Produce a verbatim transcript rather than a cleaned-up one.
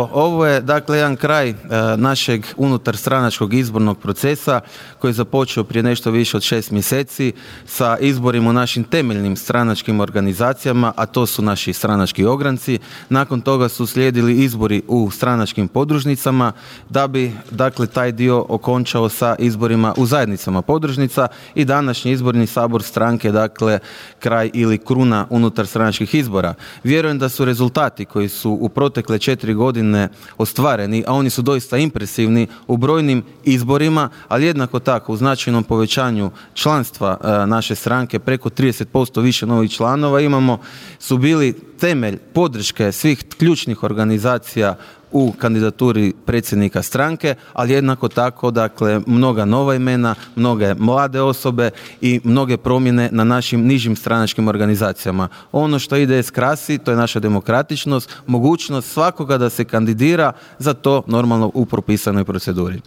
Ovo je dakle jedan kraj e, našeg unutarstranačkog izbornog procesa koji je započeo prije nešto više od šest mjeseci sa izborima u našim temeljnim stranačkim organizacijama, a to su naši stranački ogranci. Nakon toga su slijedili izbori u stranačkim podružnicama da bi dakle taj dio okončao sa izborima u zajednicama podružnica i današnji izborni sabor stranke, dakle kraj ili kruna unutar stranačkih izbora. Vjerujem da su rezultati koji su u protekle četiri godine ostvareni, a oni su doista impresivni u brojnim izborima, ali jednako tako u značajnom povećanju članstva e, naše stranke, preko trideset posto više novih članova imamo, su bili temelj podrške svih ključnih organizacija u kandidaturi predsjednika stranke, ali jednako tako dakle mnoga nova imena, mnoge mlade osobe i mnoge promjene na našim nižim stranačkim organizacijama. Ono što I D S krasi, to je naša demokratičnost, mogućnost svakoga da se kandidira za to normalno u propisanoj proceduri.